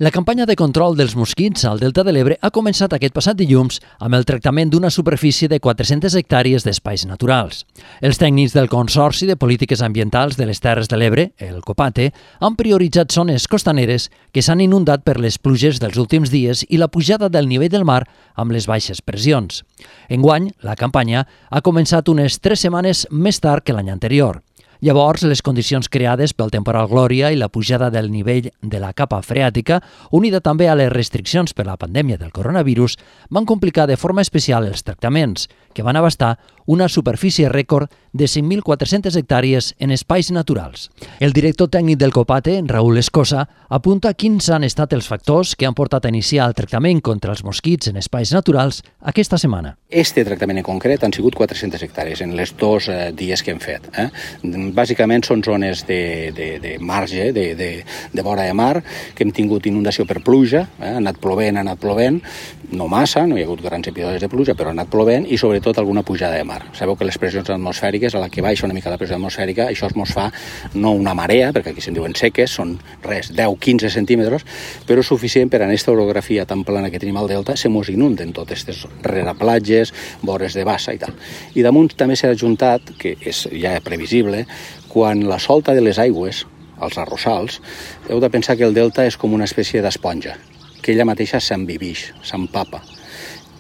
La campanya de control dels mosquits al Delta de l'Ebre ha començat aquest passat dilluns amb el tractament d'una superfície de 400 hectàrees d'espais naturals. Els tècnics del Consorci de Polítiques Ambientals de les Terres de l'Ebre, el COPATE, han prioritzat zones costaneres que s'han inundat per les pluges dels últims dies i la pujada del nivell del mar amb les baixes pressions. Enguany, la campanya ha començat unes 3 setmanes més tard que l'any anterior. Llavors, les condicions creades pel temporal Glòria i la pujada del nivell de la capa freàtica, unida també a les restriccions per la pandèmia del coronavirus, van complicar de forma especial els tractaments, que van abastar una superfície rècord de 5.400 hectàrees en espais naturals. El director tècnic del COPATE, Raúl Escosa, apunta quins han estat els factors que han portat a iniciar el tractament contra els mosquits en espais naturals aquesta setmana. Este tractament en concret han sigut 400 hectàrees en els 2 dies que hem fet. Bàsicament són zones de marge, de vora de mar, que hem tingut inundació per pluja, ha anat plovent, no massa, no hi ha hagut grans episodis de pluja, però ha anat plovent i sobretot alguna pujada de mar. Sabeu que les pressions atmosfèriques, a la que baixa una mica la pressió atmosfèrica, això es mos fa no una marea, perquè aquí se'n diuen seques, són 10-15 centímetres, però suficient per a aquesta orografia tan plana que tenim al delta, se mos inunden totes aquestes reraplatges, vores de bassa i tal. I damunt també s'ha ajuntat, que és ja previsible, quan la solta de les aigües, als arrossals, heu de pensar que el delta és com una espècie d'esponja, que ella mateixa s'envivix, s'empapa.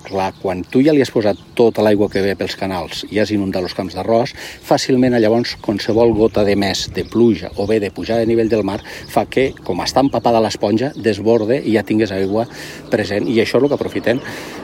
Clar, quan tu ja li has posat tota l'aigua que ve pels canals i has inundat els camps d'arròs, fàcilment llavors qualsevol gota de més de pluja o bé de pujada de nivell del mar fa que, com està empapada l'esponja, desborde i ja tingués aigua present. I això és el que aprofiten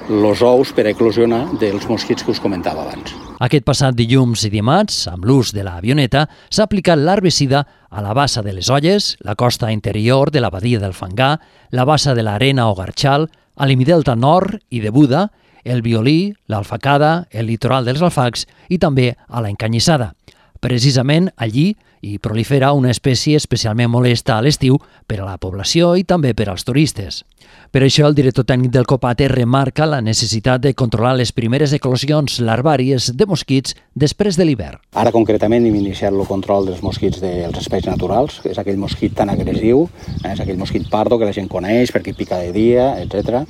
els ous per eclosionar dels mosquits que us comentava abans. Aquest passat dilluns i dimarts, amb l'ús de l'avioneta, s'ha aplicat l'herbicida a la bassa de les Olles, la costa interior de la badia del Fangar, la bassa de l'Arena o Garxal, a l'Imidelta Nord i de Buda, el Violí, l'Alfacada, el litoral dels Alfacs i també a la Encanyissada. Precisament allí hi prolifera una espècie especialment molesta a l'estiu per a la població i també per als turistes. Per això el director tècnic del COPATE remarca la necessitat de controlar les primeres eclosions larvàries de mosquits després de l'hivern. Ara concretament hem iniciat el control dels mosquits dels espais naturals, que és aquell mosquit tan agressiu, és aquell mosquit pardo que la gent coneix perquè pica de dia, etc.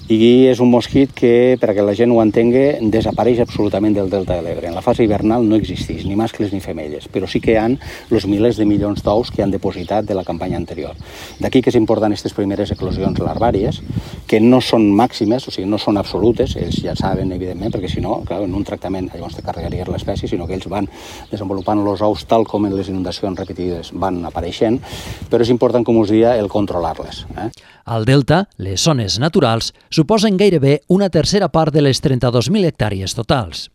I és un mosquit que, perquè la gent ho entengui, desapareix absolutament del Delta de l'Ebre. En la fase hivernal no existeix ni mascles ni femelles, però sí que hi ha els milers de milions d'ous que han depositat de la campanya anterior. D'aquí que és important aquestes primeres eclosions larvàries, que no són màximes, o sigui, no són absolutes, ells ja saben, evidentment, perquè si no, clar, en un tractament llavors te carregaries l'espècie, sinó que ells van desenvolupant els ous tal com en les inundacions repetides van apareixent, però és important, com us deia, el controlar-les. Al Delta, les zones naturals suposen gairebé una tercera part de les 32.000 hectàrees totals.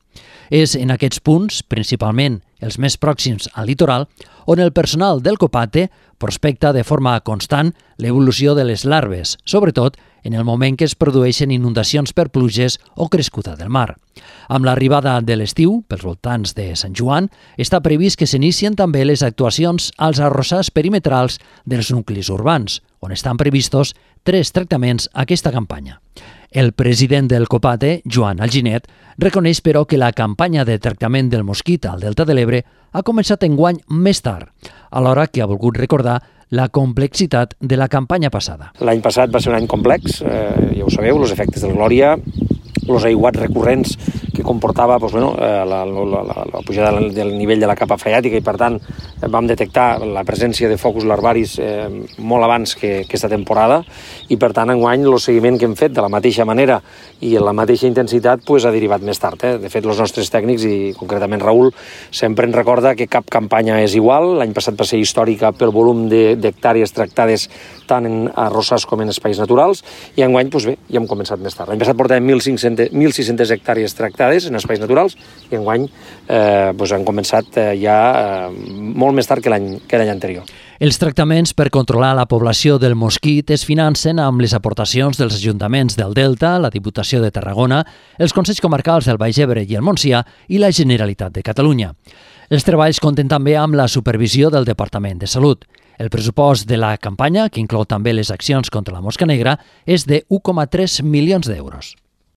És en aquests punts, principalment els més pròxims al litoral, on el personal del COPATE prospecta de forma constant l'evolució de les larves, sobretot en el moment que es produeixen inundacions per pluges o crescuda del mar. Amb l'arribada de l'estiu, pels voltants de Sant Joan, està previst que s'inicien també les actuacions als arrossars perimetrals dels nuclis urbans, on estan previstos 3 tractaments a aquesta campanya. El president del COPATE, Joan Alginet, reconeix però que la campanya de tractament del mosquit al Delta de l'Ebre ha començat enguany més tard, alhora que ha volgut recordar la complexitat de la campanya passada. L'any passat va ser un any complex, ja ho sabeu, els efectes del Glòria, els aiguats recurrents que comportava la pujada del nivell de la capa freàtica i, per tant, vam detectar la presència de focus larvaris molt abans que aquesta temporada i, per tant, enguany el seguiment que hem fet de la mateixa manera i en la mateixa intensitat ha derivat més tard. De fet, els nostres tècnics, i concretament Raül, sempre ens recorda que cap campanya és igual. L'any passat va ser històrica pel volum d'hectàrees tractades tant en arrossars com en espais naturals i enguany, ja hem començat més tard. L'any passat portàvem 1.600 hectàrees tractades en espais naturals i enguany han començat ja molt més tard que l'any anterior. Els tractaments per controlar la població del mosquit es financen amb les aportacions dels ajuntaments del Delta, la Diputació de Tarragona, els Consells Comarcals del Baix Ebre i el Montsià i la Generalitat de Catalunya. Els treballs compten també amb la supervisió del Departament de Salut. El pressupost de la campanya, que inclou també les accions contra la mosca negra, és de 1,3 milions d'euros.